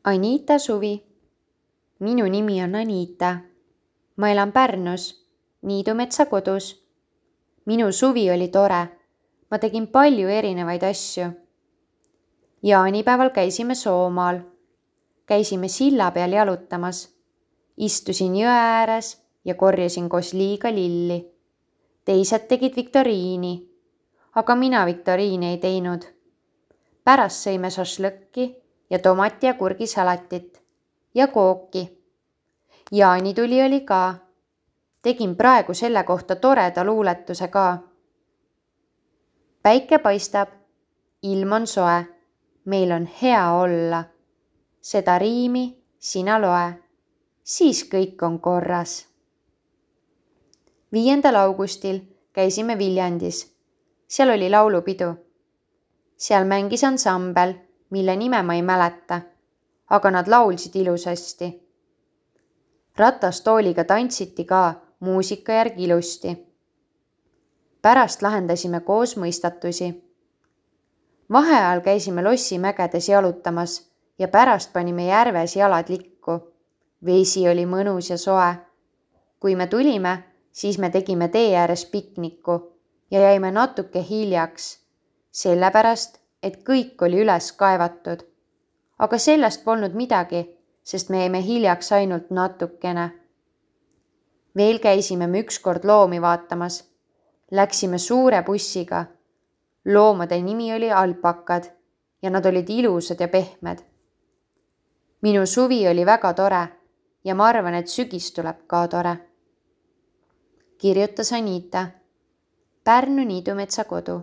Anita suvi. Minu nimi on Anita. Ma elan Pärnus, Niidumetsa kodus. Minu suvi oli tore. Ma tegin palju erinevaid asju. Jaanipäeval käisime Soomaal. Käisime silla peal jalutamas. Istusin jõe ääres ja korjasin koos liiga lilli. Teised tegid viktoriini, aga mina viktoriini ei teinud. Pärast sõime šašlõkki ja tomati ja kurgisalatit ja kooki. Jaanituli oli ka. Tegin praegu selle kohta toreda luuletuse ka. Päike paistab, ilm on soe, meil on hea olla. Seda riimi sina loe, siis kõik on korras. 5. augustil käisime Viljandis. Seal oli laulupidu. Seal mängis ansambel, mille nime ma ei mäleta, aga nad laulsid ilusasti. Ratastooliga tantsiti ka muusika järgi ilusti. Pärast lahendasime koos mõistatusi. Vaheajal käisime Lossimägedes jalutamas ja pärast panime järves jalad likku. Vesi oli mõnus ja soe. Kui me tulime, siis me tegime tee ääres pikniku ja jäime natuke hiljaks, sellepärast, et kõik oli üles kaevatud. Aga sellest polnud midagi, sest me jäime hiljaks ainult natukene. Veel käisime me ükskord loomi vaatamas. Läksime suure bussiga. Loomade nimi oli alpakad ja nad olid ilusad ja pehmed. Minu suvi oli väga tore ja ma arvan, et sügis tuleb ka tore. Kirjutas Anita. Pärnu Niidumetsa kodu.